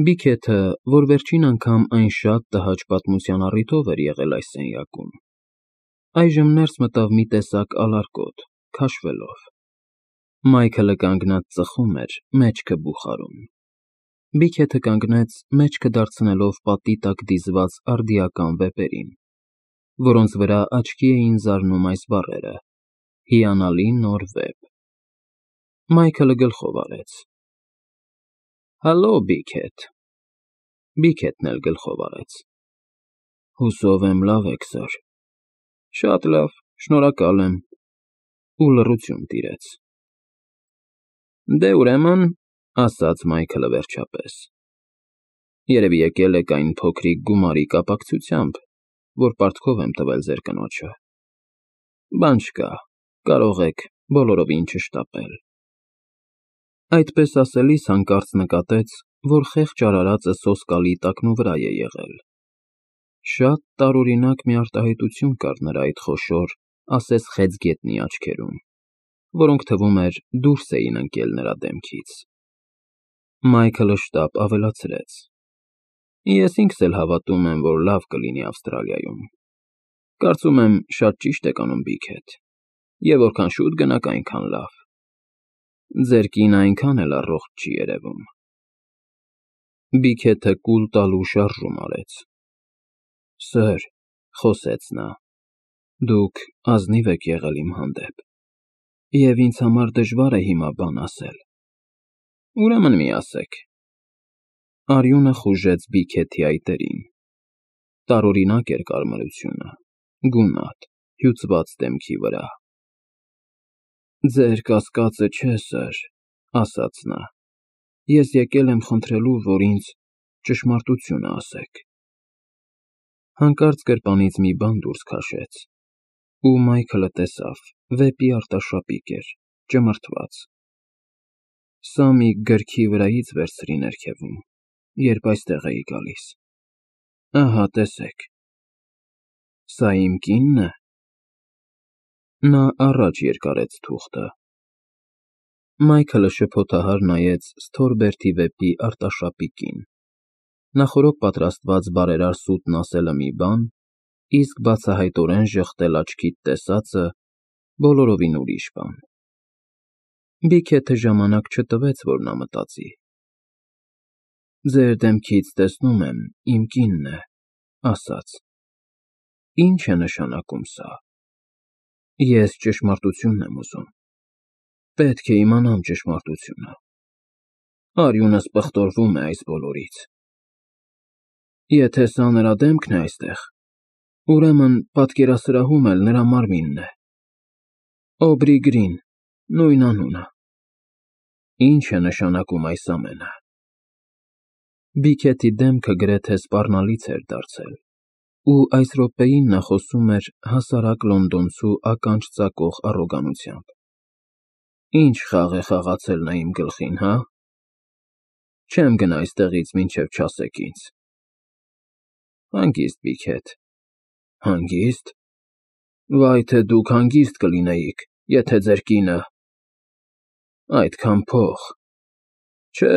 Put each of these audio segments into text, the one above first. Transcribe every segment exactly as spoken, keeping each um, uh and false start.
Բիքեթը, որ վերջին անգամ այն շատ տհաճ պատմության առիթով էր եղել այս սենյակում, այժմ ներս մտավ մի տեսակ ալարկոտ, քաշվելով. Մայքլը կանգնած ծխում էր, մեջքը բուխարում, Բիքեթը կանգնեց, մեջքը դարձնելով պատի տակ դիզված արդիական վեպերին, որոնց վրա աչքի էին զարնում այս բառերը. «Հիանալի նոր վեպ»։ Մայքլը գլխով արեց. Հալո, Բիքեթ։ Բիքեթն էլ գլխով արեց. Հուսով եմ լավ եք, սըր։ Շատ լավ, շնորհակալ եմ, ու լռություն տիրեց։ Դե ուրեմն, ասաց Մայքլը վերջապես, երևի եկել եք այն փոքրիկ գումարի կապակցությամբ, որ պարտքով եմ տվել ձեր կնոջը։ Բան չկա, կարող եք բոլորովին չշտապել։ Այդպես ասելիս հանկարծ նկատեց, որ խեղճ արարածը սոսկալի տակնուվրա է եղել։ Շատ տարօրինակ մի արտահայտություն կար նրա այդ խոշոր, ասես խեցգետնի աչքերում, որոնք, թվում էր, դուրս էին ընկել նրա դեմքից։ Մայքլը շտապ ավելացրեց. Ես ինքս էլ հավատում եմ, որ լավ կլինի Ավստրալիայում։ Կարծում եմ, շատ ճիշտ եք անում, Բիքեթ, և որքան շուտ գնաք, այնքան լավ։ Ձեր կինը այնքան էլ առողջ չի երևում։ Բիքեթը կուլ տալու շարժում արեց. Սըր, խոսեց նա, դուք ազնիվ եք եղել իմ հանդեպ, և ինձ համար դժվար է հիմա բան ասել։ Ուրեմն մի ասեք։ Արյունը խուժեց Բիքեթի այտերին։ Տարօրինակ էր կարմրությունը, գունատ, հյուծված դեմքի վրա։ Ձեր կասկածը չէ, սըր, ասաց նա, ես եկել եմ խնդրելու, որ ինձ ճշմարտությունը ասեք։ Հանկարծ գրպանից մի բան դուրս քաշեց, ու Մայքլը տեսավ, վեպի արտաշապիկ էր, ճմրթված։ Սա մի գրքի վրայից վերցրի ներքևում, երբ այստեղ էի գալիս։ Ահա, տեսեք։ Սա իմ կինն է։ Նա առաջ երկարեց թուղթը։ Մայքլը շփոթահար նայեց Սթորբերթի վեպի արտաշապիկին։ Նախօրոք պատրաստված բարերար սուտն ասելը մի բան, իսկ բացահայտորեն ժխտել աչքիդ տեսածը բոլորովին ուրիշ բան։ Բիքեթը ժամանակ չտվեց, որ նա մտածի։ Ձեր դեմքից տեսնում եմ, իմ կինն է, ասաց։ Ինչ է նշանակում սա։ Ես ճշմարտությունն եմ ուզում։ Պետք է իմանամ ճշմարտությունը։ Արյունս պղտորվում է այս բոլորից։ Եթե սա նրա դեմքն է այստեղ, ուրեմն պատկերասրահում էլ նրա մարմինն է։ Օբրի Գրին, նույն անունը։ Ինչ է նշանակում այս ամենը։ Բիքեթի դեմքը գրեթե սպառնալից էր դարձել, ու այս րոպեին նա խոսում էր հասարակ լոնդոնցու ականջ ծակող առոգանությամբ։ Ինչ խաղ է խաղացել նա իմ գլխին, հա։ Չեմ գնա այստեղից, մինչև չասեք ինձ։ Հանգիստ, Բիքեթ։ Հանգիստ։ Վայ, թե դուք հանգիստ կլինեիք, եթե ձեր կինը… Այդքան փող… Չէ,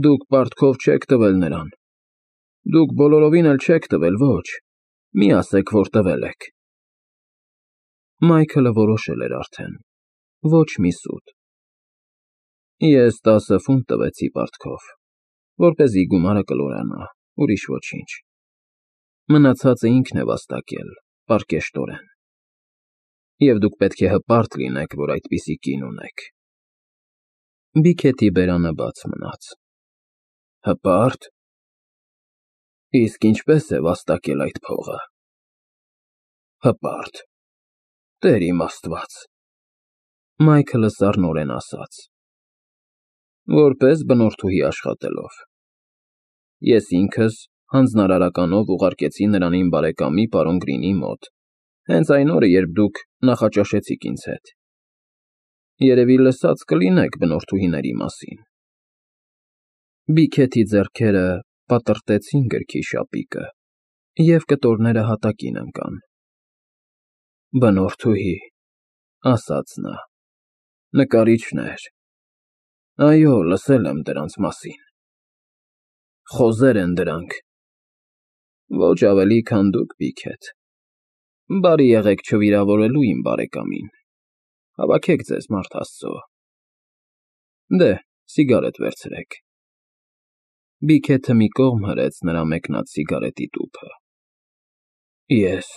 դուք պարտքով չեք տվել նրան։ Դուք բոլորովին էլ չեք տվել, ոչ, մի ասեք, որ տվել եք։ Մայքլը որոշել էր արդեն, ոչ մի սուտ։ Ես տասը ֆունտ տվեցի պարտքով, որպեսզի գումարը կլորանա, ուրիշ ոչինչ։ Մնացածը ինքն է վաստակել, պարկեշտորեն։ Եվ դուք պետք է հպարտ լինեք, որ այդպիսի կին ունեք։ Բիքեթի բերանը բաց մնաց։ Հպա՞րտ։ Իսկ ինչպե՞ս է վաստակել այդ փողը։ Հպարտ… Տեր իմ Աստված… Մայքլը սառնորեն ասաց. Որպես բնորդուհի աշխատելով։ Ես ինքս հանձնարարականով ուղարկեցի նրան իմ բարեկամի պարոն Գրինի մոտ, հենց այն օրը, երբ դուք նախաճաշեցիք ինձ հետ։ Երևի լսած կլինեք բնորդուհիների մասին։ Բիքեթի ձեռքերը պատռտեցին գրքի շապիկը, և կտորները հատակին ընկան։ Բնորդուհի, ասաց նա, նկարիչներ… Այո, լսել եմ դրանց մասին։ Խոզեր են դրանք։ Ոչ ավելի, քան դուք, Բիքեթ։ Բարի եղեք չվիրավորելու իմ բարեկամին։ Հավաքեք ձեզ, մարդ Աստծո։ Դե, սիգարետ վերցրեք։ Բիքեթը մի կողմ հրեց նրա մեկնած սիգարետի տուփը։ Ես,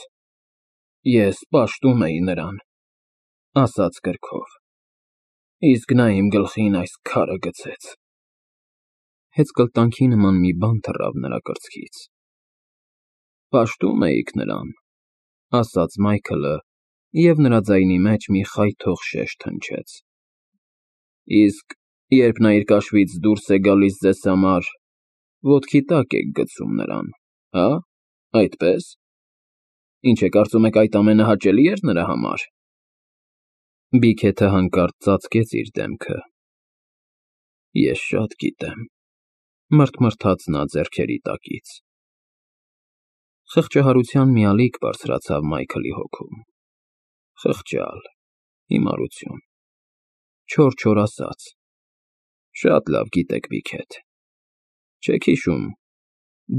ես պաշտում էի նրան, ասաց կրքով, իսկ նա իմ գլխին այս քարը գցեց։ Հեծկլտանքի նման մի բան թռավ նրա կրծքից։ Պաշտում էիք նրան, ասաց Մայքլը, և նրա ձայնի մեջ մի խայթող շեշտ հնչեց։ Իսկ երբ նա իր կաշվից դուրս է գալիս ձեզ համար, ոտքի տակ եք գցում նրան, հա՞, այդպես։ Ինչ է կարծում եք այդ ամենը հաճելի էր նրա համար։ Բիքեթը հանկարծ ծածկեց իր դեմքը։ Ես շատ գիտեմ, մռթմռթաց նա ձեռքերի տակից։ Խղճահարության մի ալիք բարձրացավ Մայքլի հոգում։ Խղճալ, հիմարություն, չոր-չոր ասաց։ Շատ լավ գիտեք, Բիքեթ։ Չեք հիշում,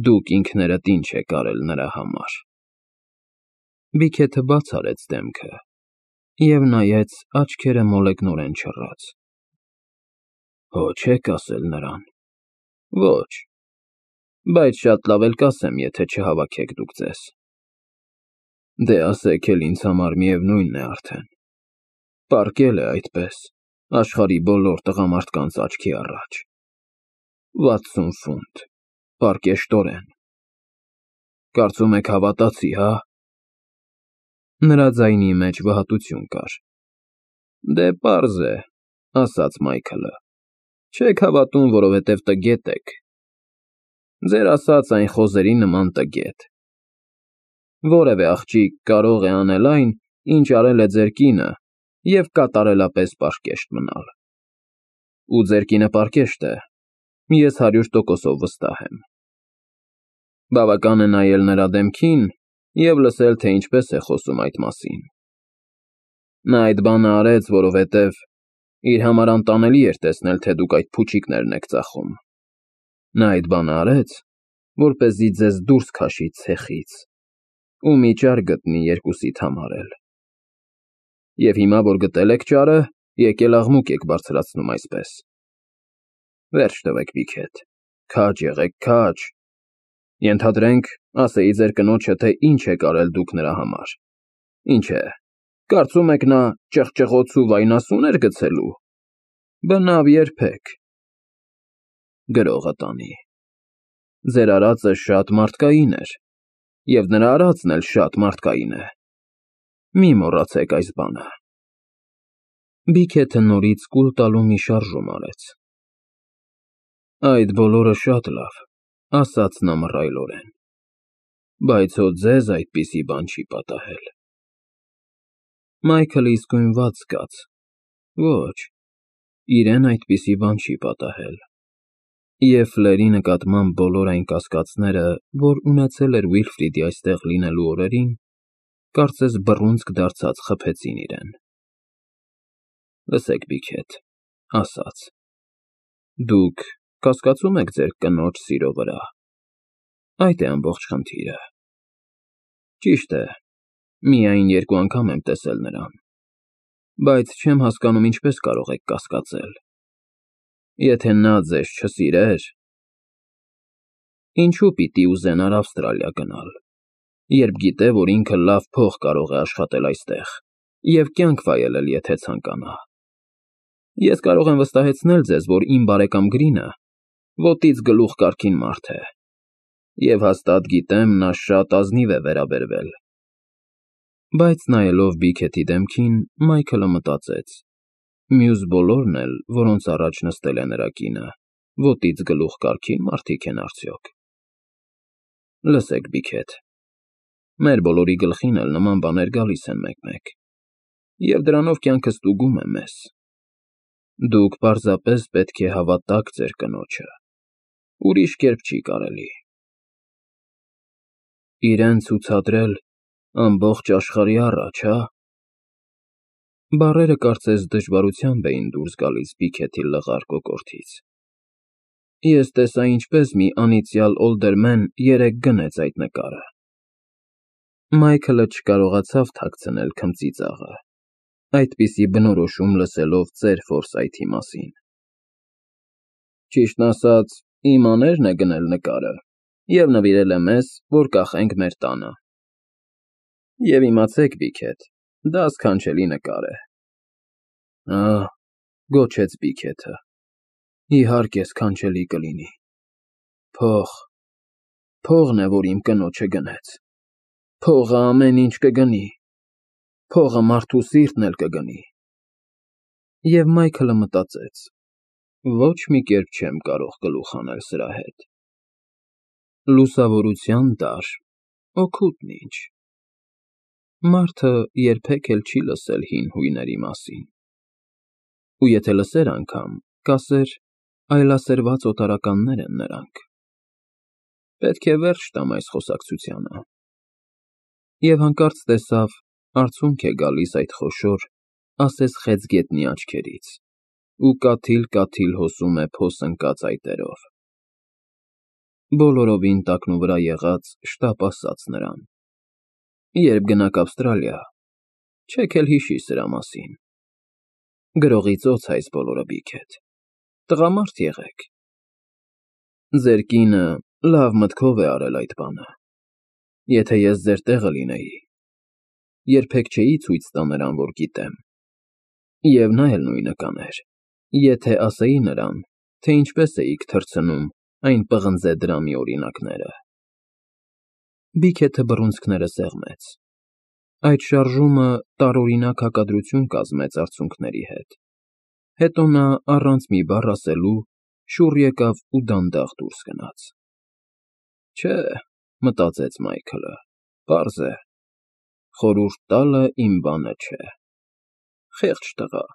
դուք ինքներդ ինչ եք արել նրա համար։ Բիքեթը բաց արեց դեմքը և նայեց աչքերը մոլեգնորեն չռած։ Հո չեք ասել նրան։ Ոչ, բայց շատ լավ էլ կասեմ, եթե չհավաքեք դուք ձեզ։ Դե ասեք էլ ինձ համար միևնույն է արդեն։ Պառկել է այդպես, աշխարհի բոլոր տղամարդկանց աչքի առաջ։ Վաթսուն ֆունտ, պառկեշտորեն։ Կարծում եք հավատացի, հա։ Նրա ձայնի մեջ վհատություն կար։ Դե պարզ է, ասաց Մայքլը, չեք հավատում, որովհետև տգետ եք։ Ձեր ասած այն խոզերի նման տգետ։ Որևէ աղջիկ կարող է անել այն, ինչ արել է ձեր կինը, և կատարելապես պարկեշտ մնալ։ Ու ձեր կինը պարկեշտ է, ես հարյուր տոկոսով վստահ եմ։ Բավական է նայել նրա դեմքին և լսել, թե ինչպես է խոսում այդ մասին։ Նա այդ բանը արեց, որովհետև իր համար անտանելի էր տեսնել, թե դուք այդ փուչիկներն եք ծախում։ Նա այդ բանը արեց, որպեսզի ձեզ դուրս քաշի ցեխից ու մի ճար գտնի երկուսիդ համար էլ։ Եվ հիմա, որ գտել եք ճարը, եկել աղմուկ եք բարձրացնում այսպես։ Վերջ տվեք, Բիքեթ, քաջ եղեք, քաջ։ Ենթադրենք, ասեի ձեր կնոջը, թե ինչ եք արել դուք նրա համար։ Ինչ է, կարծում եք նա ճղճղոց ու վայնասուն էր գցելու։ Բնավ երբեք։ Գրողը տանի։ Ձեր արածը շատ մարդկային էր, և նրա արածն էլ շատ մարդկային է։ Մի մոռացեք այս բանը։ Բիքեթը նորից կուլ տալու մի շարժում արեց։ Այդ բոլորը շատ լավ, ասաց նա մռայլորեն, բայց հո ձեզ այդպիսի բան չի պատահել։ Մայքլը իսկույն վատ զգաց։ Ոչ, իրեն այդպիսի բան չի պատահել։ Եվ Ֆլերի նկատմամբ բոլոր այն կասկածները, որ ունեցել էր Վիլֆրիդի այստեղ լինելու օրերին, կարծես բռունցք դարձած խփեցին իրեն։ Լսեք, Բիքեթ, ասաց, դուք կասկածում եք ձեր կնոջ սիրո վրա։ Այդ է ամբողջ խնդիրը։ Ճիշտ է, միայն երկու անգամ եմ տեսել նրան, բայց չեմ հասկանում ինչպես կարող եք կասկածել։ Եթե նա ձեզ չսիրեր… Ինչու պիտի ուզենար Ավստրալիա գնալ, երբ գիտե, որ ինքը լավ փող կարող է աշխատել այստեղ և կյանք վայելել, եթե ցանկանա։ Ես կարող եմ վստահեցնել ձեզ, որ իմ բարեկամ Գրինը ոտից գլուխ կարգին մարդ է, և հաստատ գիտեմ, նա շատ ազնիվ է վերաբերվել։ Բայց նայելով Բիքեթի դեմքին, Մայքլը մտածեց. մյուս բոլորն էլ, որոնց առաջ նստել է նրա կինը, ոտից գլուխ կարգին մարդիկ են արդյոք։ Լսեք, Բիքեթ, մեր բոլորի գլխին էլ նման բաներ գալիս են մեկ֊մեկ, և դրանով կյանքը ստուգում է մեզ։ Դուք պարզապես պետք է հավատաք ձեր կնոջը, ուրիշ կերպ չի կարելի։ Իրեն ցուցադրել ամբողջ աշխարհի առաջ, հա։ Բառերը կարծես դժվարությամբ էին դուրս գալիս Բիքեթի լղար կոկորդից։ Ես տեսա ինչպես մի անիծյալ օլդերմեն երեկ գնեց այդ նկարը։ Մայքլը չկարողացավ թաքցնել քմծի ծաղը, այդպիսի բնորոշում լսելով ծեր Ֆորսայթի մասին։ Ճիշտն ասած, իմ աներն է գնել նկարը և նվիրել է մեզ, որ կախենք մեր տանը։ Եվ իմացեք, Բիքեթ, դա սքանչելի նկար է։ Ահ, գոչեց Բիքեթը, իհարկե սքանչելի կլինի։ Փող, փողն է, որ իմ կնոջը գնեց։ Փողը ամեն ինչ կգնի, փողը մարդու սիրտն էլ կգնի։ Եվ Մայքլը մտածեց. ոչ մի կերպ չեմ կարող գլուխ հանել սրա հետ։ Լուսավորության դար, օգուտն ինչ։ Մարդը երբեք էլ չի լսել հին հույների մասին։ Ու եթե լսեր անգամ, կասեր, այլասերված օտարականներ են նրանք։ Պետք է վերջ տամ այս խոսակցությանը։ Եվ հանկարծ տեսավ, արցունք է գալիս այդ խոշոր, ասես խեցգետնի աչքերից, ու կաթիլ֊կաթիլ հոսում է փոս ընկած այտերով։ Բոլորովին տակնուվրա եղած շտապ ասաց նրան. երբ գնաք Ավստրալիա, չեք էլ հիշի սրա մասին։ Գրողի ծոց է այս բոլորը, Բիքեթ, տղամարդ եղեք։ Ձեր կինը լավ մտքով է արել այդ բանը։ Եթե ես ձեր տեղը լինեի, երբեք չէի ցույց տա նրան, որ գիտեմ։ Եվ նա էլ նույնը կաներ, եթե ասեի նրան, թե ինչպես էիք թռցնում այն պղնձե դրամի օրինակները։ Բիքեթը բռունցքները սեղմեց։ Այդ շարժումը տարօրինակ հակադրություն կազմեց արցունքների հետ։ Հետո նա առանց մի բառ ասելու շուռ եկավ ու դանդաղ դուրս գնաց։ Չէ, մտածեց Մայքլը, պարզ է, խորհուրդ տալը իմ բանը չէ։ Խեղճ տղա։